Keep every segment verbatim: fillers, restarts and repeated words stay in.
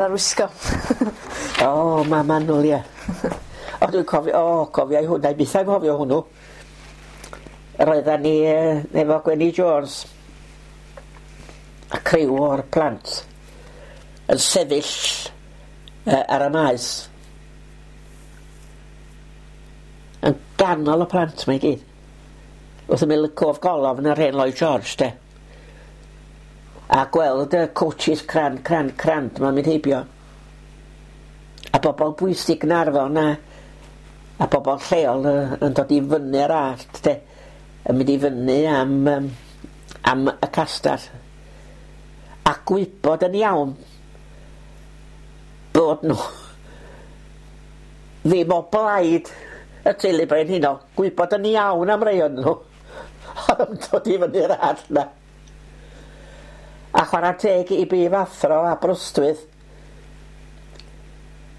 Arwisgo. O, mam annwyl, ie. O, dwi'n cofio, o, cofio i hwnna, i byth anghofio hwnnw. Roeddan ni yy, efo Gwenny Jones a criw o'r plant yn sefyll uh, ar y maes yn ganol y plant 'ma i gyd. Wrth ymyl y cof golofn yr hen Lloyd George, de. A gweld y coaches crand, crand, crand 'ma'n mynd heibio. A bobl bwysig Gaernarfon a, a bobl lleol yy, yn dod i fyny'r allt, de. Yn mynd i fyny am, um, am y castell. A gwybod yn iawn bod nhw ddim o blaid y teulu brenhinol. Gwybod yn iawn am rei o'n nhw oedd yn dod i fyny'r allt 'na. A chwarae teg i brifathro Aberystwyth,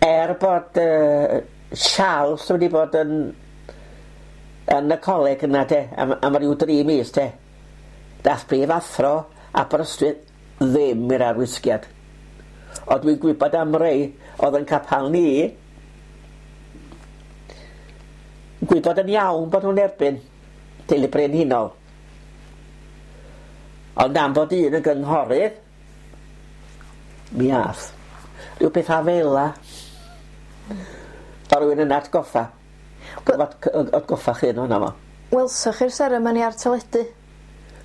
er bod uh, Charles wedi bod yn yn y coleg yna de, am, am ryw dri mis de, dath brifathro Aberystwyth ddim i'r arwisgiad. Ond dwi'n gwybod am rei oedd yn capal ni, gwybod yn iawn bod nhw'n erbyn teulu brenhinol. Ond am fod un yn gynghorydd, mi ath. Rhyw bethau fel 'a. O rywun yn atgoffa. Atgoffa chi yn hwnna fo. Welsoch chi'r seremoni ar teledu?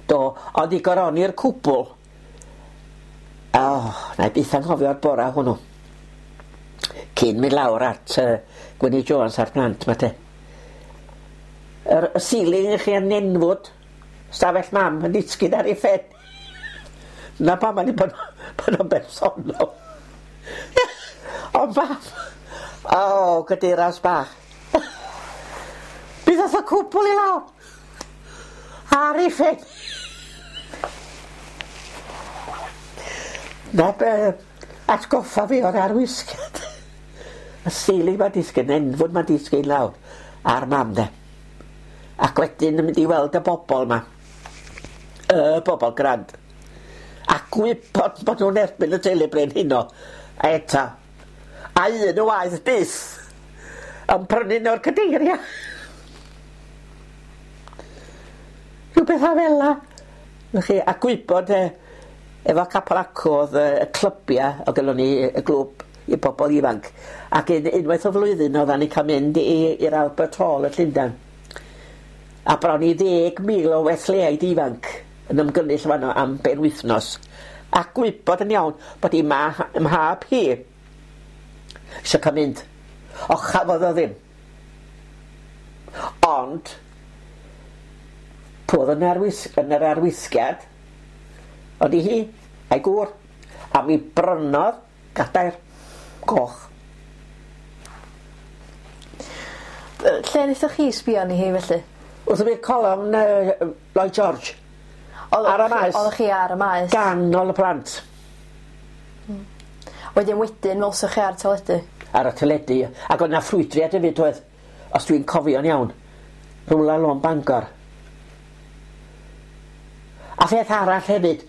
Do, ond i goroni'r cwbl, o, na i byth anghofio'r bora hwnnw. Cyn mynd lawr at uh, Gwynnie Jones a'r plant 'ma te. Yr y ceiling i chi yn nenfwd, stafell mam yn disgyn ar ei phen. Na pam o'n i bod, bod o'n bersonol. O mam, o, gydiras bach. Mi ddoth y cwbl i lawr. Ar ei phen. Na be, atgoffa fi o'r arwisgiad. Y ceiling ma'n disgyn, nenfwd ma'n disgyn lawr ar mam de. Ac wedyn yn mynd i weld y bobl 'ma. Y bobl grand. A gwybod bod nhw'n erbyn y teulu brenhinol. A eto, a un o waith byth yn prynu nhw'r cadeiriau. Rhyw bethau fel 'na. Chi, a gwybod eh, efo capel acw oedd y, y clybiau, oedd gynnon ni y glwb i bobl ifanc. Ac un, unwaith o flwyddyn oeddan ni cael mynd i'r Albert Hall yn Llundain. A bron i ddeg mil o Wesleyaid ifanc yn ymgynnull fanno am benwythnos. A gwybod yn iawn bod i ma, mhab hi eisiau cael mynd. O, chafodd o ddim. Ond, pwy oedd yn, arwys, yn yr arwisgiad, oedd i hi, a'i gŵr. A mi brynodd gadair goch. Lle wnaethoch chi sbio arni hi felly? Wrth ymyl colofn uh, Lloyd George. Oeddech Ar y maes. Oeddech chi ar y maes? Ganol y plant. Hmm. Wedyn wedyn welsoch chi ar teledu? Ar y teledu. Ac oedd 'na ffrwydriad hefyd oedd, os dwi'n cofio'n iawn, rhywle lôn Bangor. A pheth arall hefyd,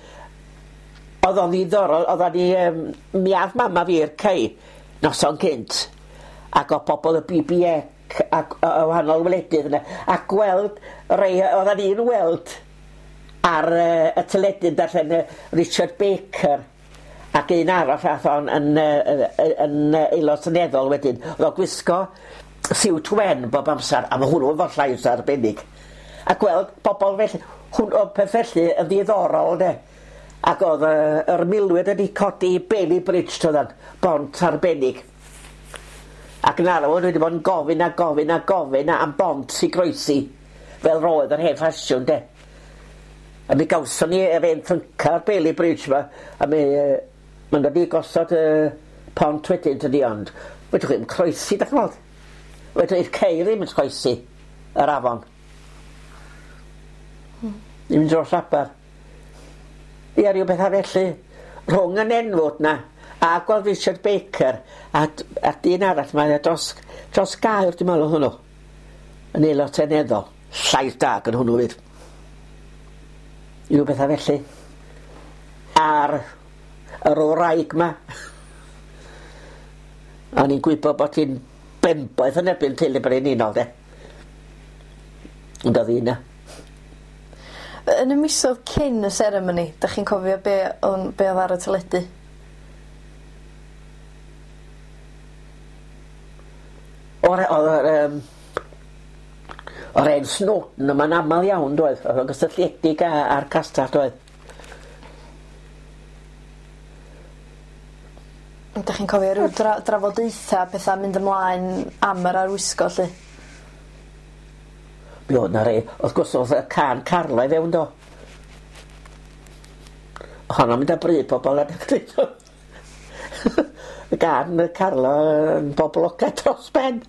oedd o'n ddiddorol, oeddan ni, um, mi ath mama fi i'r cei noson cynt, ac oedd pobl y B B C ac o wahanol wledydd yna, a gweld rei oeddan ni'n weld ar uh, y teledu yn darllen uh, Richard Baker ac un arall ath o'n yn, uh, yn, yn aelod seneddol wedyn. Oedd o'n gwisgo siwt wen bob amser, a mae hwnnw efo llais arbennig. A gweld pobl felly, hwn, o peth felly yn ddiddorol de. Ac oedd uh, yr milwyr wedi codi Bailey Bridge toeddan, bont arbennig. Ac yn arw wedi bod yn gofyn a gofyn a gofyn am bont i groesi, fel roedd yr hen ffasiwn de. A mi gawson ni yr hen ffynca'r Bailey Bridge ma, a mi uh, ma'n dod i gosod y uh, pont wedyn tydi, ond fedrwch chi'm croesi, dach chi'n gweld? Fedrwch chi'r ceir ddim yn croesi yr afon. Hmm. Ddim yn dros aber. Ia, rhyw bethau felly. Rhwng y nenfwd na, a gweld Richard Baker, a, a dyn arall, mae dros, dros gair, dwi'n meddwl hwnnw, yn aelod seneddol. Llais da gan hwnnw fyd. Rhyw bethau felly. A'r yr wraig ma, O'n i'n gwybod bod hi'n benboeth yn erbyn teulu brenhinol, de. Ond oedd hi yna. Yn y misoedd cyn y seremoni, dach chi'n cofio be oedd, be oedd ar y teledu? O'r, oedd um, o'r en Snowden yma'n aml iawn, doedd. Oedd o'n gysylltiedig â'r castell, doedd. Dach chi'n cofio rhyw dra drafodaetha pethau mynd ymlaen am yr arwisgo, lly? Mi oedd 'na rei. Wrth gwrs oedd y can Carlo i fewn do. Honno'n mynd â bryd pobl adeg Y gan Carlo yn boblogaidd dros ben.